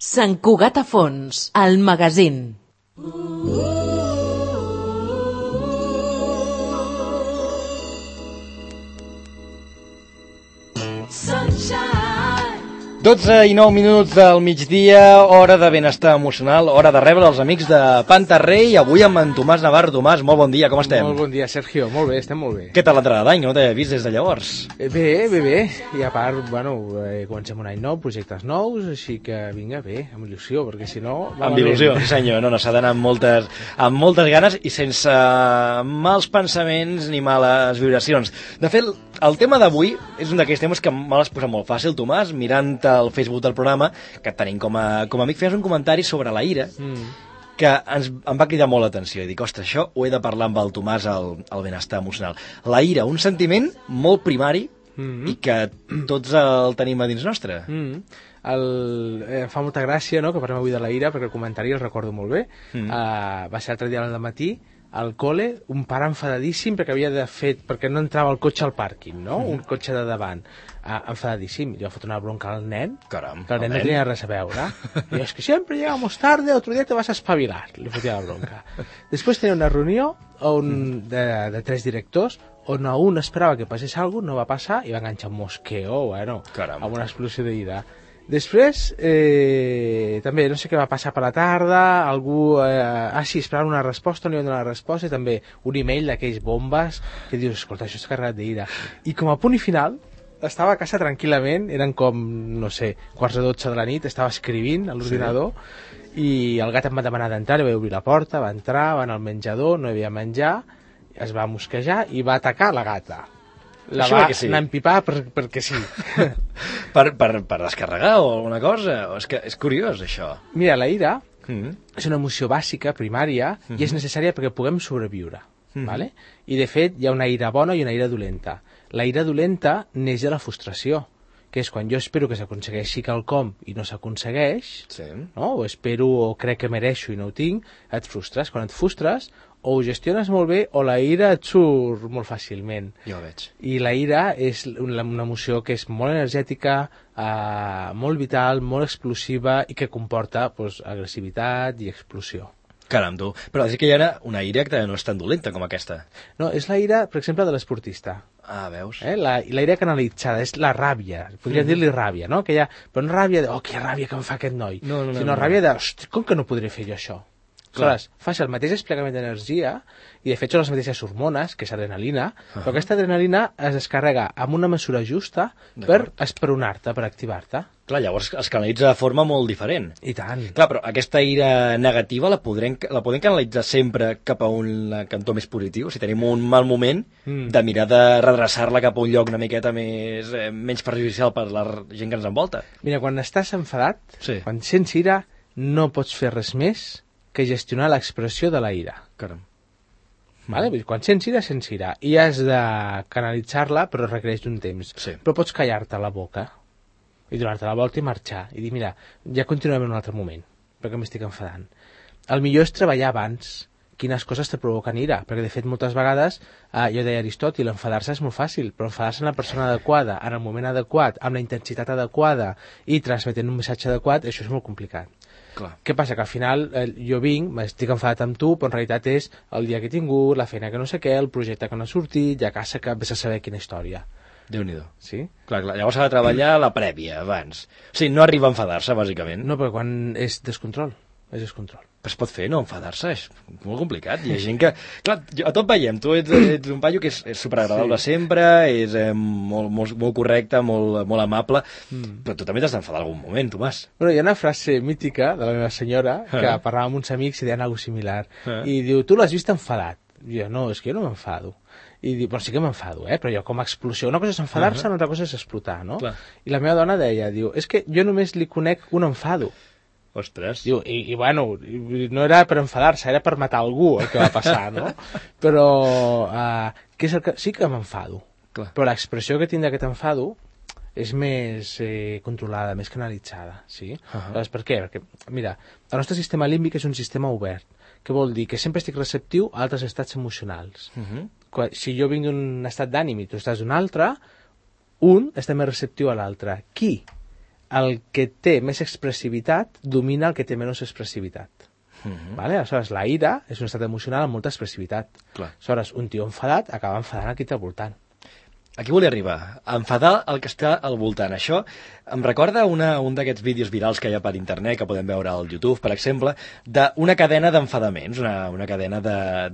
Sant Cugat a Fons, el magazín. Sunshine. 12 i 9 minuts del migdia, hora de benestar emocional, hora de rebre els amics de Pantarrey, i avui amb en Tomàs Navarro. Tomàs, molt bon dia, com estem? Molt bon dia, Sergio, molt bé, estem molt bé. Què tal l'entrada d'any? No t'he vist des de llavors. Bé, i a part, comencem un any nou, projectes nous, així que vinga, bé, amb il·lusió, perquè si no... Amb il·lusió, sí senyor, no, s'ha d'anar amb moltes ganes i sense mals pensaments ni males vibracions. De fet, el tema d'avui és un d'aquells temes que me l'has posat molt fàcil, Tomàs, mirant el Facebook del programa, que tenim com a amic, feies un comentari sobre la ira, que em va cridar molt l'atenció, i dic, ostres, això ho he de parlar amb el Tomàs, el benestar emocional. La ira, un sentiment molt primari, i que tots el tenim a dins nostre. Em fa molta gràcia, no?, que parlem avui de la ira, perquè el comentari el recordo molt bé. Va ser l'altre dia al matí, al col·le, un pare enfadadíssim perquè no entrava el cotxe al pàrquing, no? Un cotxe de davant. Enfadadíssim. Jo he fot una bronca al nen. Caram, que el nen no tenia res a veure. I es que sempre llegamos tarde, otro día te vas a espavilar. Li fotia la bronca. Després tenia una reunió de 3 directors on a un esperava que passés alguna cosa, no va passar, i va enganxar un mosqueo, amb una explosió d'ira. Després, també, no sé què va passar per la tarda, algú, sí, esperava una resposta, no hi va donar la resposta, i també un email d'aquells bombes, que dius, escolta, això està carregat d'ira. I com a punt i final, estava a casa tranquil·lament, eren com, no sé, 11:45 de la nit, estava escrivint a l'ordinador, i el gat em va demanar d'entrar, li vaig obrir la porta, va entrar, va anar al menjador, no hi havia menjar, es va mosquejar i va atacar la gata. La va anar a empipar perquè sí. per descarregar o alguna cosa? És que és curiós, això. Mira, la ira és una emoció bàsica, primària, i és necessària perquè puguem sobreviure. Vale? I de fet hi ha una ira bona i una ira dolenta. La ira dolenta neix de la frustració, que és quan jo espero que s'aconsegueixi quelcom i no s'aconsegueix, no? O espero o crec que mereixo i no ho tinc, et frustres. Quan et frustres, o ho gestiones molt bé o la ira et surt molt fàcilment. Jo ho veig. I la ira és una emoció que és molt energètica, molt vital, molt explosiva i que comporta agressivitat i explosió. Caram, tu. Però és que hi ha una ira que no és tan dolenta com aquesta. No, és la ira, per exemple, de l'esportista. Ah, veus? La ira canalitzada, és la ràbia. Podríem dir-li ràbia, no? Però no ràbia de, que ràbia que em fa aquest noi. Sinó ràbia de, hosti, com que no podré fer jo això? Aleshores, fas el mateix desplegament d'energia, i de fet són les mateixes hormones, que és adrenalina, però aquesta adrenalina es descarrega amb una mesura justa per esperonar-te, per activar-te. Clar, llavors es canalitza de forma molt diferent. I tant. Clar, però aquesta ira negativa la podem canalitzar sempre cap a un cantó més positiu? Si tenim un mal moment, de mirar de redreçar-la cap a un lloc una miqueta menys perjudicial per la gent que ens envolta. Mira, quan estàs enfadat, quan sents ira, no pots fer res més que gestionar l'expressió de la ira. Caram. Vale? Quan sents ira, i has de canalitzar-la, però requereix un temps. Però pots callar-te la boca, i donar-te la volta i marxar, i dir, mira, ja continuem en un altre moment, perquè m'estic enfadant. El millor és treballar abans quines coses te provoquen ira, perquè de fet moltes vegades, jo deia Aristòtil, enfadar-se és molt fàcil, però enfadar-se en la persona adequada, en el moment adequat, amb la intensitat adequada, i transmetent un missatge adequat, això és molt complicat. Clar. Què passa? Que al final jo m'estic enfadat amb tu, però en realitat és el dia que he tingut, la feina que no sé què, el projecte que no ha sortit, ja casa que vés a saber quina història. Déu-n'hi-do. Sí? Clar, llavors s'ha de treballar la prèvia, abans. O sigui, no arriba a enfadar-se, bàsicament. No, perquè quan és descontrol. Però es pot fer, no enfadar-se, és molt complicat. Hi ha gent que... Clar, a tot veiem, tu ets un paio que és superagradable sempre, és molt correcte, molt amable, però tu també t'has d'enfadar algun moment, Tomàs. Bueno, hi ha una frase mítica de la meva senyora, que parlava amb uns amics i deien alguna cosa similar, i diu, tu l'has vist enfadat? I jo, no, és que jo no m'enfado. I diu, però sí que m'enfado, però jo com a explosió. Una cosa és enfadar-se, una altra cosa és explotar, no? Clar. I la meva dona deia, diu, és que jo només li conec un enfado. Ostres. Diu, i bueno, no era per enfadar-se, era per matar algú el que va passar, no? Però què és el que... sí que m'enfado. Clar. Però l'expressió que tinc d'aquest enfado és més controlada, més canalitzada, sí? Llavors, per què? Perquè, mira, el nostre sistema límbic és un sistema obert, que vol dir que sempre estic receptiu a altres estats emocionals. Si jo vinc d'un estat d'ànim i tu estàs d'un altre, un està més receptiu a l'altre. Qui el que té més expressivitat domina el que té menys expressivitat. Vale? Aleshores, la ira és un estat emocional amb molta expressivitat. Clar. Aleshores, un tio enfadat acaba enfadant a qui té al voltant. Aquí volia arribar, a enfadar el que està al voltant. Això em recorda un d'aquests vídeos virals que hi ha per internet, que podem veure al YouTube, per exemple, d'una cadena d'enfadaments, una cadena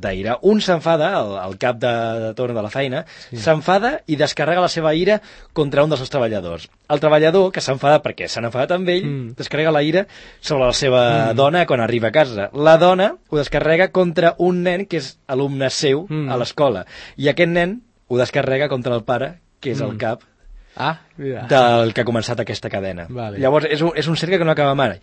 d'ira. Un s'enfada, el cap de torn de la feina, s'enfada i descarrega la seva ira contra un dels seus treballadors. El treballador, que s'enfada perquè s'han enfadat amb ell, descarrega la ira sobre la seva dona quan arriba a casa. La dona ho descarrega contra un nen que és alumne seu a l'escola. I aquest nen ho descarrega contra el pare, que és el cap Mira. del que ha començat aquesta cadena. Vale. Llavors, és un cercle que no acaba mai.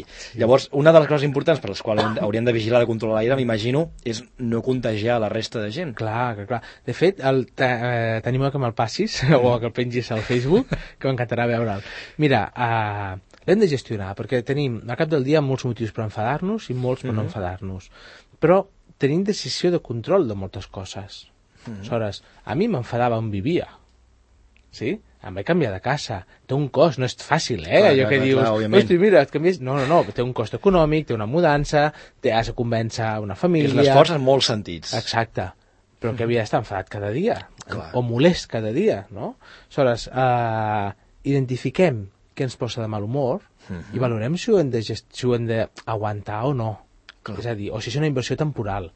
Sí. Llavors, una de les coses importants per les quals hauríem de vigilar, de controlar l'aire, m'imagino, és no contagiar la resta de gent. Clar. De fet, t'animo que me'l passis, o que el pengis al Facebook, que m'encantarà veure'l. Mira, l'hem de gestionar, perquè tenim, al cap del dia, molts motius per enfadar-nos i molts per no enfadar-nos. Però tenim decisió de control de moltes coses. Aleshores, a mi m'enfadava on vivia. Sí? Em vaig canviar de casa. Té un cost, no és fàcil, allò que dius, hosti, mira, et canvies... No, té un cost econòmic, té una mudança, has de convèncer una família... És un esforç en molts sentits. Exacte. Però que havia d'estar enfadat cada dia, o molest cada dia, no? Aleshores, identifiquem què ens posa de mal humor i valorem si ho hem d'aguantar o no. Clar. És a dir, o si és una inversió temporal.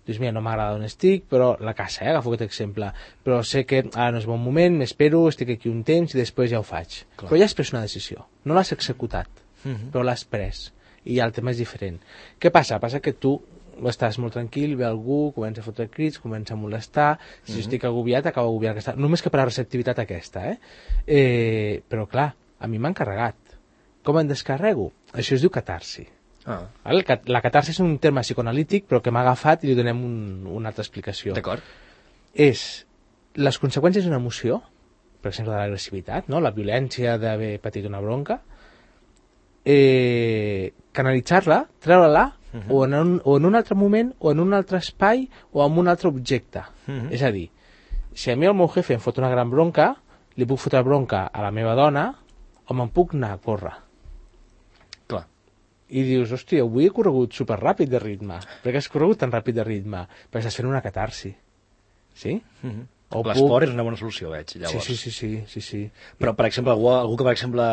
Dius, mira, no m'agrada on estic, però la casa, agafo aquest exemple, però sé que ara no és bon moment, m'espero, estic aquí un temps i després ja ho faig. Clar. Però ja has pres una decisió, no l'has executat, però l'has pres, i ja el tema és diferent. Què passa? Passa que tu estàs molt tranquil, ve algú, comença a fotre crits, comença a molestar, si jo estic agobiat, acabo agobiat, només que per la receptivitat aquesta, però clar, a mi m'han carregat. Com em descarrego? Això es diu catarsi. La catarsi és un terme psicoanalític, però que m'ha agafat i li donem una altra explicació. D'acord. És les conseqüències d'una emoció, per exemple de l'agressivitat, no? La violència d'haver patit una bronca, canalitzar-la, treure-la, o en un altre moment, o en un altre espai, o en un altre objecte. És a dir, si a mi el meu jefe em fot una gran bronca, li puc fotre bronca a la meva dona, o me'n puc anar a córrer. I dius, hòstia, avui he corregut superràpid de ritme. Per què has corregut tan ràpid de ritme? Perquè estàs fent una catarsi. Sí? L'esport és una bona solució, veig, llavors. Sí. Però, per exemple, algú que, per exemple,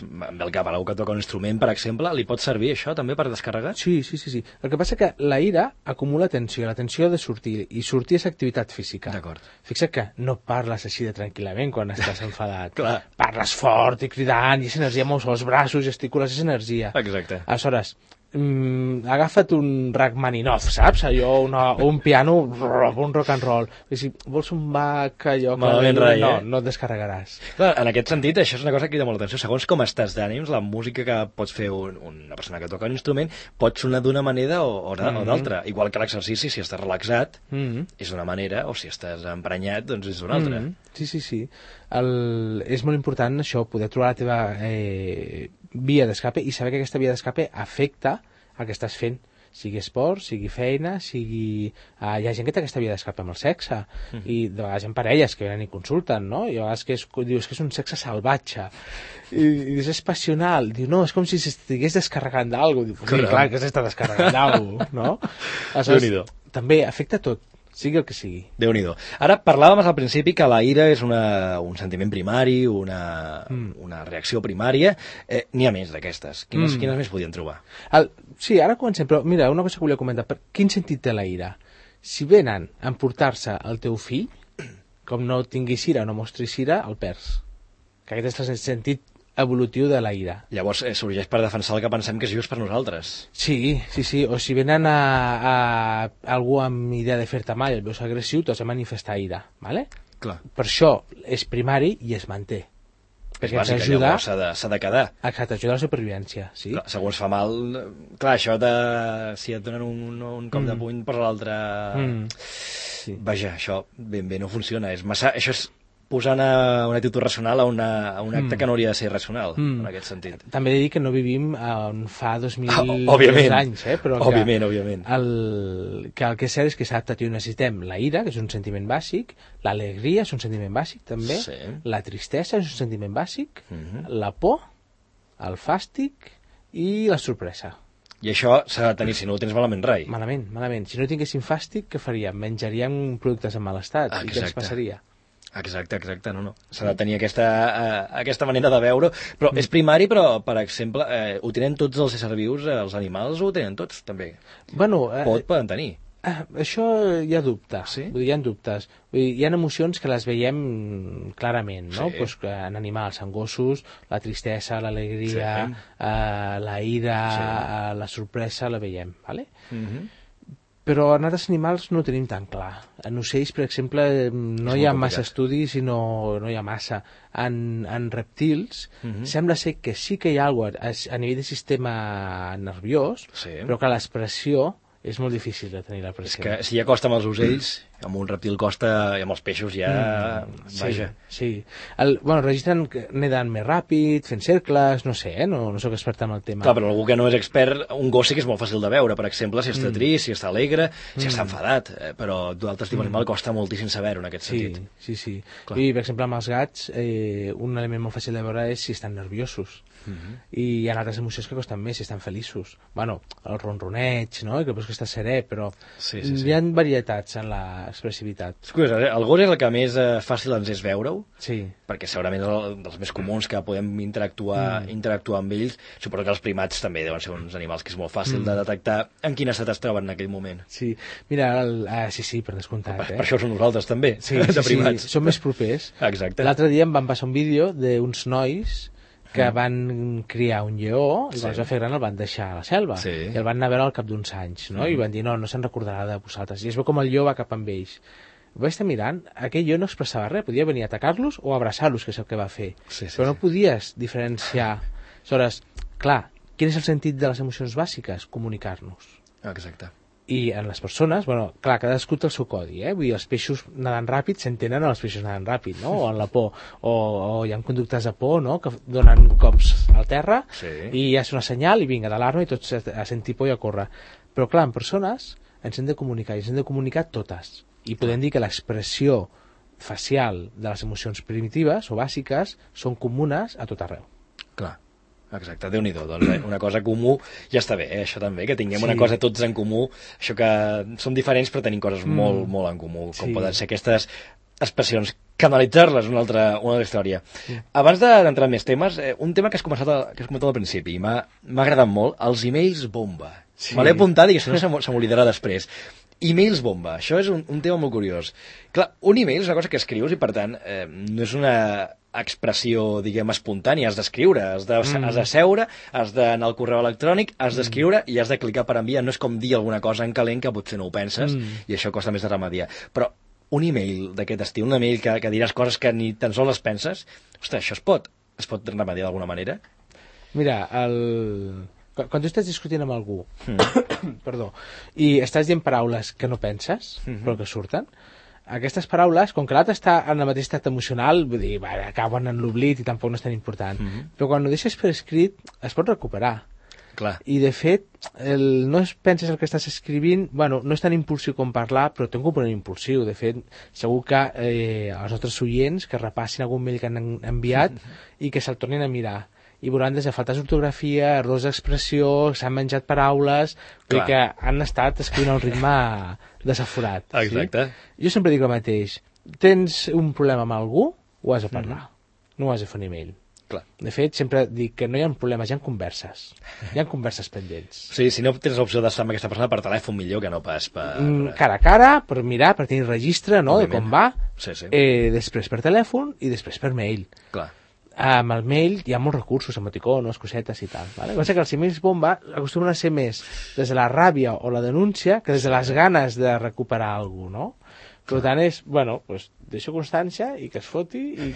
em ve al cap, algú que toca un instrument, per exemple, li pot servir això també per descarregar? Sí. El que passa que la ira acumula tensió, la tensió ha de sortir, i sortir és activitat física. D'acord. Fixa't que no parles així de tranquil·lament quan estàs enfadat. Clar. Parles fort i cridant, i és energia, mous els braços, gesticules, és energia. Exacte. Aleshores, agafa't un Rachmaninoff, saps? Allò, un piano, un rock and roll. I si vols un Bach, allò... No et descarregaràs. Clar, en aquest sentit, això és una cosa que crida molt l'atenció. Segons com estàs d'ànims, la música que pots fer una persona que toca un instrument pot sonar d'una manera o d'altra. Igual que l'exercici, si estàs relaxat, és d'una manera, o si estàs emprenyat, doncs és d'una altra. Sí. És molt important això, poder trobar la teva via d'escape i saber que aquesta via d'escape afecta el que estàs fent, sigui esport, sigui feina, sigui... hi ha gent que té aquesta via d'escape amb el sexe, i de vegades hi ha parelles que venen i consulten, no? I a vegades dius que és un sexe salvatge, i dius, és passional, diu, no, és com si s'estigués descarregant d'algú, diu, clar que s'està descarregant d'algú, no? Aleshores, també afecta tot, sigui el que sigui. Déu-n'hi-do. Ara, parlàvem al principi que la ira és un sentiment primari, una reacció primària. N'hi ha més d'aquestes. Quines més podien trobar? Sí, ara comencem, però mira, una cosa que volia comentar. Quin sentit té la ira? Si venen a emportar-se el teu fill, com no tinguis ira o no mostris ira, el perds. Que aquest és el sentit evolutiu de la ira. Llavors sorgeix per defensar el que pensem que és just per nosaltres. Sí. O si venen a algú amb idea de fer-te mal i el veus agressiu, t'has de manifestar ira, ¿vale? Clar. Per això és primari i es manté. És bàsic, llavors s'ha de quedar. Exacte, ajuda a la supervivència, sí. Clar, segons fa mal, clar, això si et donen un cop de puny, posa l'altre... Sí. Vaja, això ben bé no funciona. Això és posant una actitud racional a un acte que no hauria de ser racional, en aquest sentit. També he de dir que no vivim on fa 2000 anys, però òbviament. Que el que és cert és que s'ha adaptat i necessitem la ira, que és un sentiment bàsic, l'alegria és un sentiment bàsic també, la tristesa és un sentiment bàsic, la por el fàstic i la sorpresa. I això s'ha de tenir, si no ho tens malament rai. Malament, malament. Si no tinguéssim fàstic, què faríem? Menjaríem productes en mal estat. I què ens passaria? Exacte, no. S'ha de tenir aquesta manera de veure, però és primari, però, per exemple, ho tenen tots els éssers vius, els animals ho tenen tots, també. Bueno, Poden tenir. Això hi ha dubtes, sí? Vull dir, hi ha dubtes. Vull dir, hi ha emocions que les veiem clarament, no? Sí. Pues, en animals, en gossos, la tristesa, l'alegria, la ira, la sorpresa, la veiem, ¿vale? Però en altres animals no ho tenim tan clar. En ocells, per exemple, no hi ha massa estudis i no hi ha massa. En reptils sembla ser que sí que hi ha alguna cosa a nivell de sistema nerviós, però que l'expressió és molt difícil de tenir la pressió. És que si ja costa amb els ocells, amb un reptil costa, i amb els peixos ja... Vaja. Sí. Registren que neden més ràpid, fent cercles, no sé, no soc expert en el tema. Clar, però algú que no és expert, un gos sí que és molt fàcil de veure, per exemple, si està trist, si està alegre, si està enfadat, però d'altres tipus d'animal costa moltíssim saber-ho en aquest sentit. Sí. I, per exemple, amb els gats, un element molt fàcil de veure és si estan nerviosos. I hi ha altres emocions que costen més, si estan feliços. Bueno, el ronroneig, no? Que veus que està serè, però hi ha varietats en l'expressivitat. És curiós, el gos és el que més fàcil ens és veure-ho, sí. Perquè segurament és dels més comuns que podem interactuar amb ells. Suposo que els primats també deuen ser uns animals que és molt fàcil de detectar en quin estat es troben en aquell moment. Sí, mira, sí, per descomptat. Per això som nosaltres també, sí, de primats. Sí, som més propers. Exacte. L'altre dia em van passar un vídeo d'uns nois que van criar un lleó i quan es va fer gran el van deixar a la selva i el van anar a veure al cap d'uns anys, no? I van dir, no se'n recordarà de vosaltres, i es veu com el lleó va cap amb ells. Vaig estar mirant, aquell lleó no expressava res, podia venir a atacar-los o abraçar-los, que és el que va fer, però no podies diferenciar. Aleshores, clar, quin és el sentit de les emocions bàsiques? Comunicar-nos. Exacte. I en les persones, clar, cadascú té el seu codi, vull dir, els peixos nadant ràpid s'entenen els peixos nadant ràpid, no? O en la por, o hi ha conductes de por, no?, que donen cops al terra i ja és una senyal i vinga, d'alarma i tots a sentir por i a córrer. Però clar, en persones ens hem de comunicar i ens hem de comunicar totes i podem dir que l'expressió facial de les emocions primitives o bàsiques són comunes a tot arreu. Clar. Exacte, Déu-n'hi-do, doncs una cosa comú ja està bé, això també, que tinguem una cosa tots en comú, això que som diferents però tenim coses molt, molt en comú, com poden ser aquestes expressions, canalitzar-les, una altra història. Abans d'entrar en més temes, un tema que has comentat al principi i m'ha agradat molt, els emails bomba. Me l'he apuntat i si no se m'oblidarà després. E-mails bomba, això és un tema molt curiós. Clar, un e-mail és una cosa que escrius i per tant no és una expressió, diguem, espontània, has d'escriure, has de seure, has d'anar al correu electrònic, has d'escriure i has de clicar per enviar. No és com dir alguna cosa en calent que potser no ho penses i això costa més de remediar. Però un e-mail d'aquest estil, un e-mail que diràs coses que ni tan sols les penses, ostres, això es pot remediar d'alguna manera? Mira, quan tu estàs discutint amb algú perdó, i estàs dient paraules que no penses però que surten, aquestes paraules, com que l'altre està en el mateix estat emocional, vull dir, acaben en l'oblit i tampoc no és tan important, però quan ho deixes per escrit es pot recuperar. Clar. I de fet no penses el que estàs escrivint, no és tan impulsiu com parlar, però té un component impulsiu. De fet, segur que els nostres oients que repassin algun mail que han enviat i que se'l tornin a mirar i veuran des de faltes d'ortografia, errors d'expressió, s'han menjat paraules, vull dir que han estat escrivint a un ritme desaforat. Exacte. Jo sempre dic el mateix, tens un problema amb algú, ho has de parlar, no ho has de fer un email. Clar. De fet, sempre dic que no hi ha problemes, hi ha converses. Hi ha converses pendents. Sí, si no tens l'opció d'estar amb aquesta persona per telèfon, millor que no pas per... Cara a cara, per mirar, per tenir registre, no?, de com va. Sí. Després per telèfon i després per mail. Clar. Amb el mail hi ha molts recursos, emoticonos, cosetes i tal. Vale? Passa que els emails bomba acostumen a ser més des de la ràbia o la denúncia que des de les ganes de recuperar alguna cosa, no? Per tant és, deixo constància i que es foti i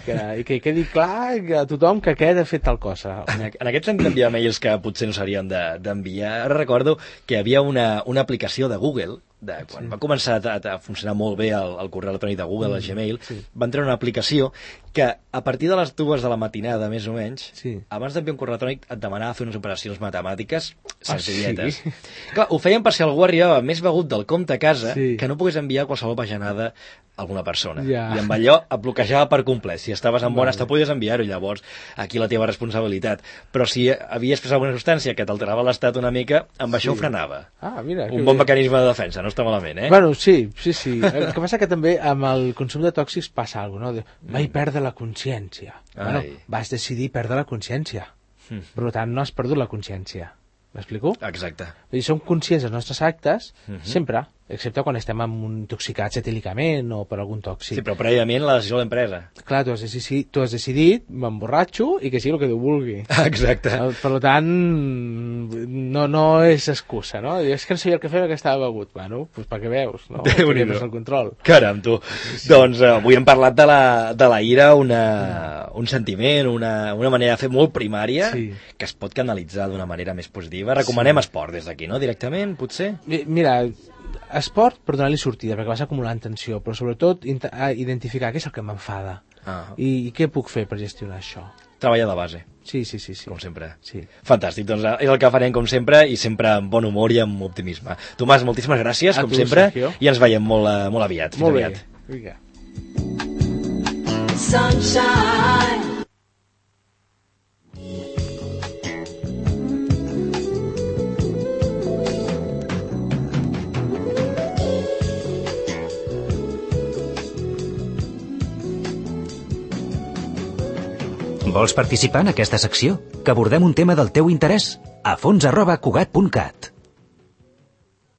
que quedi clar a tothom que aquest ha fet tal cosa. En aquest sentit d'enviar mails que potser no serien d'enviar, ara recordo que hi havia una aplicació de Google, quan va començar a funcionar molt bé el correu electrònic de Google, el Gmail, van treure una aplicació que a partir de les 2 de la matinada, més o menys, abans d'enviar un correu electrònic et demanava fer unes operacions matemàtiques senzilletes. sí? Clar, ho feien per si algú arribava més begut del compte a casa Sí. que no pogués enviar qualsevol bajanada a alguna persona. Ja. I amb allò et bloquejava per complet. Si estaves en bon Vale. estat podies enviar-ho, llavors aquí la teva responsabilitat. Però si havies pres alguna substància que t'alterava l'estat una mica, amb això ho frenava. Ah, mira. Un bon mecanisme de defensa, no està malament, eh? Bueno, sí. El que passa que també amb el consum de tòxics passa alguna cosa, no? Vaig perdre la consciència. Bueno, vas decidir perdre la consciència. Per tant, no has perdut la consciència. M'explico? Exacte. Vull dir, som conscients dels nostres actes, sempre, excepte quan estem intoxicats etílicament o per algun tòxic. Sí, però prèviament la decisió de l'empresa. Clar, tu has decidit, m'emborratxo i que sigui el que Déu vulgui. Exacte. Per tant, no és excusa, no? És que no sabia el que feia perquè estava begut. Bueno, doncs perquè veus, no? Déu-n'hi-do. El control. Caram, tu. Sí. Doncs avui hem parlat de la ira, un sentiment, una manera de fer molt primària, que es pot canalitzar d'una manera més positiva. Recomanem esport des d'aquí, no? Directament, potser? Mira, esport per donar-li sortida, perquè vas acumulant tensió, però sobretot identificar què és el que m'enfada i què puc fer per gestionar això. Treballar de base. Sí. Com sempre. Sí. Fantàstic, doncs és el que farem com sempre i sempre amb bon humor i amb optimisme. Tomàs, moltíssimes gràcies, com sempre, Sergio. I ens veiem molt aviat. Molt bé. Aviat. Vinga. Sunshine. Vols participar en aquesta secció? Que abordem un tema del teu interès? afons@cugat.cat